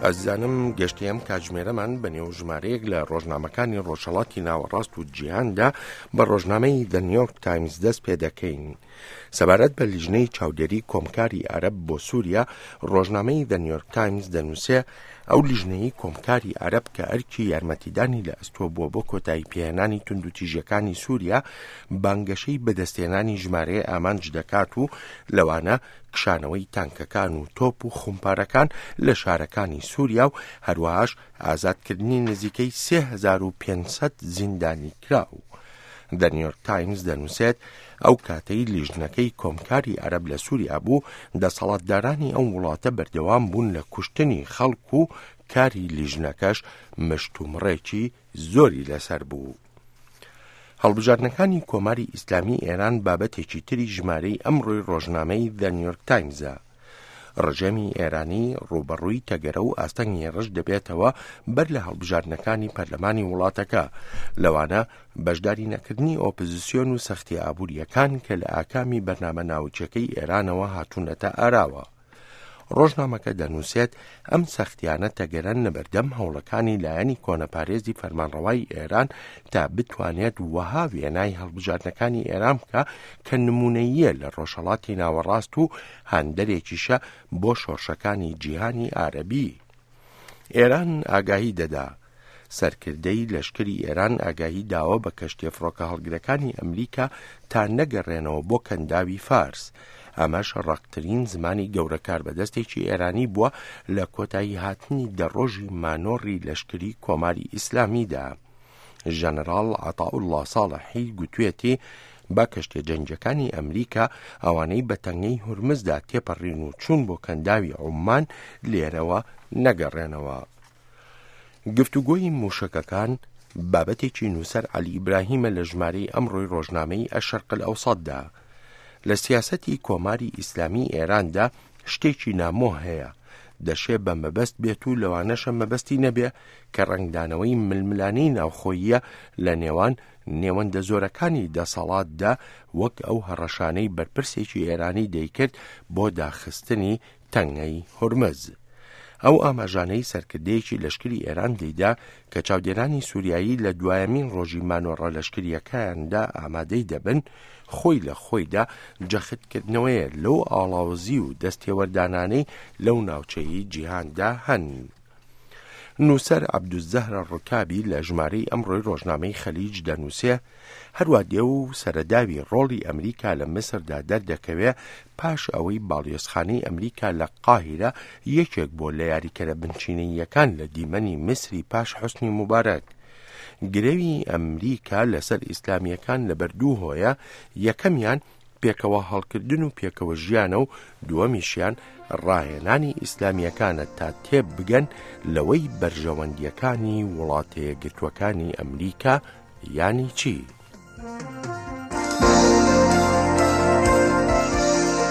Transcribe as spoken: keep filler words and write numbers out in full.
ئازیزانم گەشتی ئەم کاتژمێرەمان بە نێو ژمارەیەک لە ڕۆژنامەکانی ڕۆژهەڵاتی ناوەڕاست و جیهاندا بە ڕۆژنامەی The New York Times دەست پێ دەکەین. سەبارەت بە لیژنەی چاودێری کۆمکاری عەرەب بۆ سووریا، ڕۆژنامەی The New York Times دەنووسێ ئەو لیژنەی کۆمکاری عەرەب کە ئەرکی یارمەتیدانی لە ئەستۆ بووە بۆ کۆتایی پێهێنانی توندوتیژیەکانی سووریا، بانگەشەی بەدەستهێنانی ژمارەیە ئامانج دەکات و لەوانە کشانەوەی تانکەکان و تۆپ و خومپارەکان لە شارەکانی سووریا و هەروەهاش ئازادکردنی نزیکەی سێ هەزار و پێنج سەد زیندانی کراو. The New York Times دەنووسێت ئەو کاتەی لیژنەکەی کۆمکاری عەرەب لە سووریا بوو، دەسەڵاتدارانی ئەو وڵاتە بەردەوام بوون لە کوشتنی خەڵک و کاری لیژنەکەش مشتومڕێکی زۆری لەسەر بوو. هەڵبژاردنەکانی کۆماری ئیسلامی ئێران بابەتێکی تری ژمارەی ئەمڕۆی ڕۆژنامەی The New York Times-ە. ڕژێمی ئێرانی ڕووبەڕووی تەگەرە و ئاستەنگی ڕژ دەبێتەوە بەر لە هەڵبژاردنەکانی پەرلەمانی وڵاتەکە، لەوانە بەشداری نەکردنی ئۆپۆزیسیۆن و سەختی ئابووریەکان کە لە ئاکامی بەرنامە ناوچەکەی ئێرانەوە هاتوونەتە ئاراوە. ڕۆژنامەکە دەنووسێت ئەم سەختیانە تەگەرەن لەبەردەم هەوڵەکانی لایەنی کۆنەپارێزی فەرمانڕەوای ئێران تا بتوانێت وەها وێنای هەڵبژاردنەکانی ئێران بکە کە نمونەییە لە ڕۆژهەڵاتی ناوەڕاست و هاندەرێکیشە بۆ شۆڕشەکانی جیهانی عەرەبی. ئێران ئاگاهی دەدا. سەرکردەی لەشکری ئێران ئاگاهی داوە بە کەشتیە فڕۆکە هەڵگرەکانی ئەمریکا تا نەگەڕێنەوە بۆ کەنداوی فارس. ئەمەش ڕەقترین زمانی گەورە کاربەدەستێکی ئێرانی بووە لە کۆتایی هاتنی دە ڕۆژی مانۆڕی لەشکری کۆماری ئیسلامیدا. ژەنەراڵ عەتاءوڵڵا ساڵحی گوتوێتی با کەشتیە جەنگیەکانی ئەمریکا ئەوانەی بە تەنگەی هورمزدا تێپەڕین و چوون بۆ کەنداوی عوممان لێرەوە نەگەڕێنەوە. گفتوگۆی موشەکەکان بابەتێکی نووسەر عەلی ئیبراهیمە لە ژمارەی ئەمڕۆی ڕۆژنامەی ئەشەرق الئەوسەتدا. لە سیاسەتی کۆماری ئیسلامی ئێراندا شتێکی نامۆ هەیە، دەشێ بە مەبەست بێت و لەوانەشە مەبەستی نەبێ کە ڕەنگدانەوەی ململانێی ناوخۆییە لە نێوان نێوەندە زۆرەکانی دەسەڵاتدا، وەک ئەو هەڕەشانەی بەرپرسێکی ئێرانی دەیکرد بۆ داخستنی تەنگەی هورمز. ئەو ئاماژانەی سەرکردەیەکی لەشکری ئێران دەیدا کە چاودێرانی سووریایی لە دوایەمین ڕۆژی مانۆڕە لەشکریەکەیاندا ئامادەی دەبن، خۆی لە خۆیدا جەختکردنەوەیە لەو ئاڵاوزی و دەستێوەردانانەی لەو ناوچەی جیهاندا هەن. نووسەر عەبدولزەهرە ڕکابی لە ژمارەی ئەمڕۆی ڕۆژنامەی خەلیج دەنووسێ هەروە دێ و سەرەداوی ڕۆڵی ئەمریکا لە میسردا دەردەکەوێ پاش ئەوەی باڵیۆزخانەی ئەمریکا لە قاهیرە یەکێک بووە لە یاریکەرە بنچینەییەکان لە دیمەنی میسری پاش حوسنی موبارەک. گرەوی ئەمریکا لەسەر ئیسلامییەکان لەبەر دوو هۆیە، یەکەمیان پێکەوە هەڵکردن و پێکەوە ژیانە و دووەمیشیان ڕاهێنانی ئیسلامییەکانە تا تێبگەن لەوەی بەرژەوەندییەکانی وڵاتەیەکگرتووەکانی ئەمریکا یانی چی؟